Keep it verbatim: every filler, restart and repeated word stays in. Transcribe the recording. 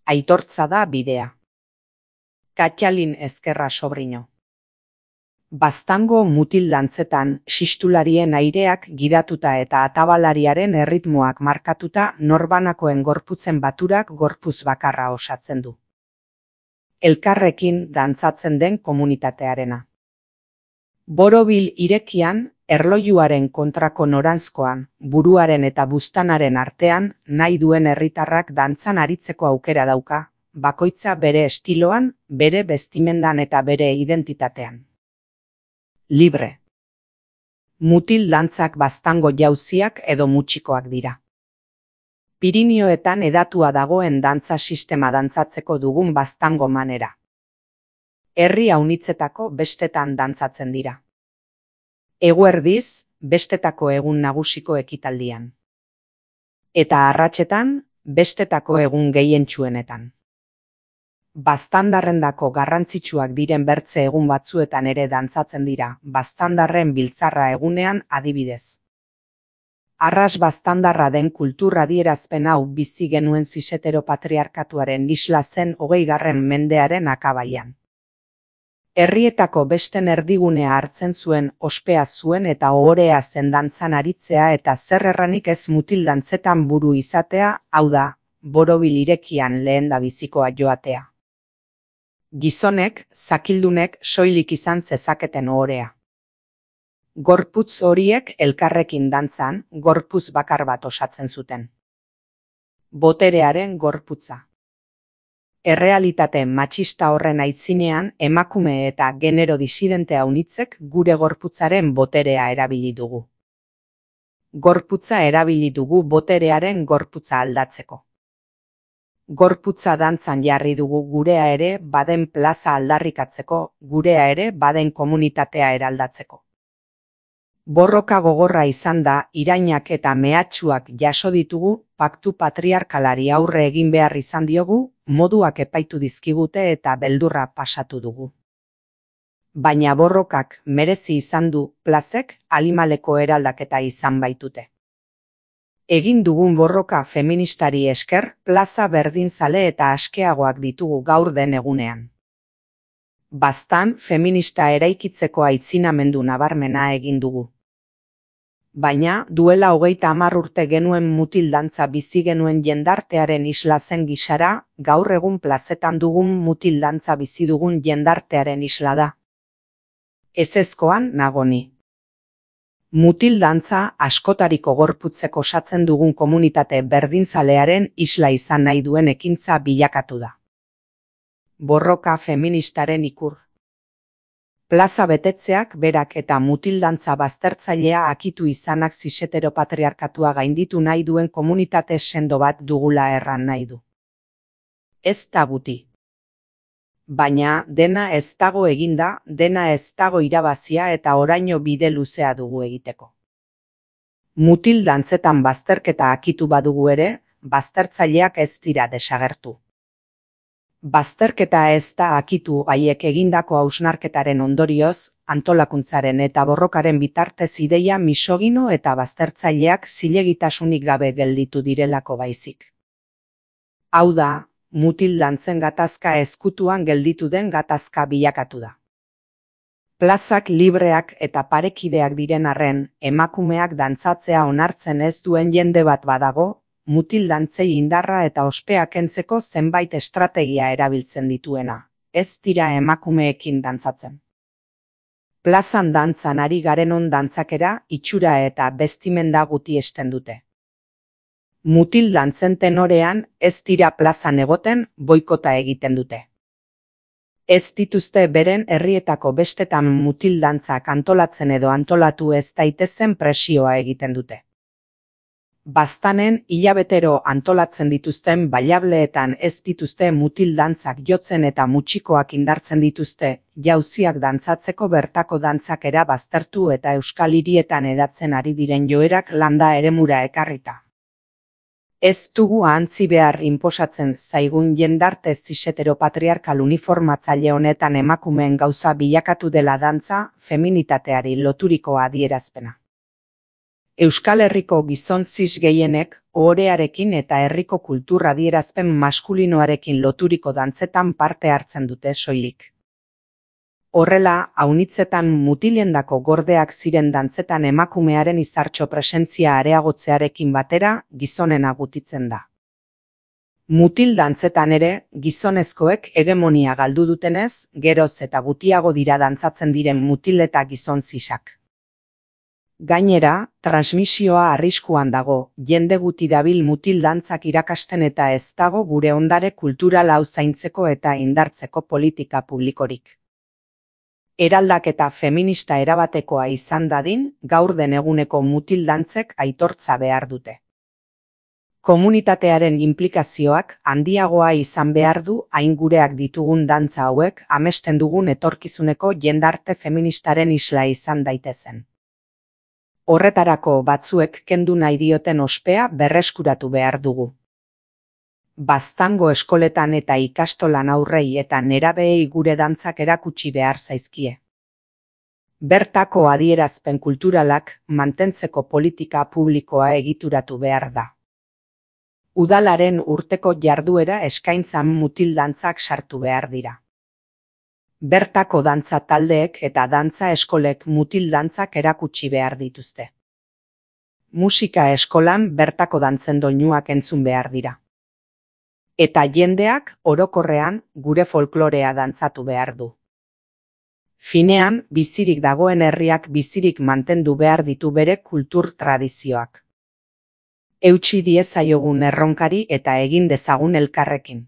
aitortza da bidea. Katalin Ezkerra Sobrino. Baztango mutil dantzetan, xistularien aireak gidatuta eta atabalariaren erritmoak markatuta norbanakoen gorputzen baturak gorpuz bakarra osatzen du. Elkarrekin dantzatzen den komunitatearena. Borobil irekian, erlojuaren kontrako noranzkoan, buruaren eta buztanaren artean, nahi duen herritarrak dantzan aritzeko aukera dauka, bakoitza bere estiloan, bere bestimendan eta bere identitatean. Libre. Mutil dantzak baztango jauziak edo mutxikoak dira. Pirinioetan edatua dagoen dantza sistema dantzatzeko dugun baztango manera. Herri haunitzetako bestetan dantzatzen dira. Eguerdiz, bestetako egun nagusiko ekitaldian. Eta arratsetan, bestetako egun gehientsuenetan. Baztandarrendako garrantzitsuak diren bertze egun batzuetan ere dantzatzen dira, baztandarren biltzarra egunean adibidez. Arras baztandarra den kultur adierazpen hau bizi genuen ziseteropatriarkatuaren isla zen hogeigarren mendearen akabaian. Herrietako besten erdigunea hartzen zuen, ospea zuen eta ohorea zen dantzan aritzea eta zer erranik ez mutil dantzetan buru izatea, hau da, borobil irekian lehendabizikoa joatea. Gizonek, zakildunek soilik izan zezaketen ohorea. Gorputz horiek elkarrekin dantzan, gorputz bakar bat osatzen zuten. Boterearen gorputza. Errealitate matxista horren aitzinean, emakume eta genero disidente haunitzek gure gorputzaren boterea erabili dugu. Gorputza erabili dugu boterearen gorputza aldatzeko. Gorputza dantzan jarri dugu gurea ere baden plaza aldarrikatzeko, gurea ere baden komunitatea eraldatzeko. Borroka gogorra izan da, irainak eta mehatxuak jaso ditugu, paktu patriarkalari aurre egin behar izan diogu, moduak epaitu dizkigute eta beldurra pasatu dugu. Baina borrokak merezi izan du, plazek alimaleko eraldaketa izan baitute. Egin dugun borroka feministari esker, plaza berdinzale eta askeagoak ditugu gaur den egunean. Baztan feminista eraikitzeko aitzinamendu nabarmena egin dugu. Baina, duela hogeita hamar urte genuen mutil dantza bizi genuen jendartearen isla zen gisara, gaur egun plazetan dugun mutil dantza bizi dugun jendartearen isla da. Ezezkoan nagoni. Mutil dantza askotariko gorputzek osatzen dugun komunitate berdinzalearen isla izan nahi duen ekintza bilakatu da. Borroka feministaren ikur. Plaza betetzeak berak eta mutil dantza baztertzailea akitu izanak ziseteropatriarkatua gainditu nahi duen komunitate sendo bat dugula erran nahi du. Ez da guti. Baina dena ez dago eginda, dena ez dago irabazia eta oraino bide luzea dugu egiteko. Mutil dantzetan bazterketa akitu badugu ere, baztertzaileak ez dira desagertu. Bazterketa ez da akitu haiek egindako hausnarketaren ondorioz, antolakuntzaren eta borrokaren bitartez ideia misogino eta baztertzaileak zilegitasunik gabe gelditu direlako baizik. Hau da, mutil dantzen gatazka ezkutuan gelditu den gatazka bilakatu da. Plazak libreak eta parekideak diren arren, emakumeak dantzatzea onartzen ez duen jende bat badago, mutil dantzei indarra eta ospea kentzeko zenbait estrategia erabiltzen dituena, ez dira emakumeekin dantzatzen. Plazan dantzan ari garenon dantzakera, itxura eta bestimenda gutiesten dute. Mutil dantzen tenorean ez dira plazan egoten, boikota egiten dute. Ez dituzte beren herrietako bestetan mutil dantzak antolatzen edo antolatu ez daitezen presioa egiten dute. Baztanen hilabetero antolatzen dituzten bailableetan ez dituzte mutil dantzak jotzen eta mutxikoak indartzen dituzte, jauziak dantzatzeko bertako dantzakera baztertu eta euskal hirietan edatzen ari diren joerak landa eremura ekarrita. Ez dugu ahantzi behar inposatzen zaigun jendarte ziseteropatriarkal uniformatzaile honetan emakumeen gauza bilakatu dela dantza, feminitateari loturiko adierazpena. Euskal Herriko gizon zis gehienek ohorearekin eta herriko kultur adierazpen maskulinoarekin loturiko dantzetan parte hartzen dute soilik. Horrela, aunitzetan mutilendako gordeak ziren dantzetan emakumearen izartxo presentzia areagotzearekin batera gizonena gutitzen da. Mutil dantzetan ere, gizonezkoek hegemonia galdu dutenez, geroz eta gutiago dira dantzatzen diren mutil eta gizon zisak. Gainera, transmisioa arriskuan dago, jende guti dabil mutil dantzak irakasten eta ez dago gure ondare kultural hau zaintzeko eta indartzeko politika publikorik. Eraldaketa feminista erabatekoa izan dadin, gaur den eguneko mutil dantzek aitortza behar dute. Komunitatearen inplikazioak handiagoa izan behar du hain gureak ditugun dantza hauek amesten dugun etorkizuneko jendarte feministaren isla izan daitezen. Horretarako batzuek kendu nahi dioten ospea berreskuratu behar dugu. Baztango eskoletan eta ikastolan aurrei eta nerabeei gure dantzak erakutsi behar zaizkie. Bertako adierazpen kulturalak mantentzeko politika publikoa egituratu behar da. Udalaren urteko jarduera eskaintzan mutil dantzak sartu behar dira. Bertako dantza taldeek eta dantza eskolek mutil dantzak erakutsi behar dituzte. Musika eskolan bertako dantzen doinuak entzun behar dira. Eta jendeak, orokorrean, gure folklorea dantzatu behar du. Finean, bizirik dagoen herriak bizirik mantendu behar ditu bere kultur tradizioak. Eutsi diezaiogun erronkari eta egin dezagun elkarrekin.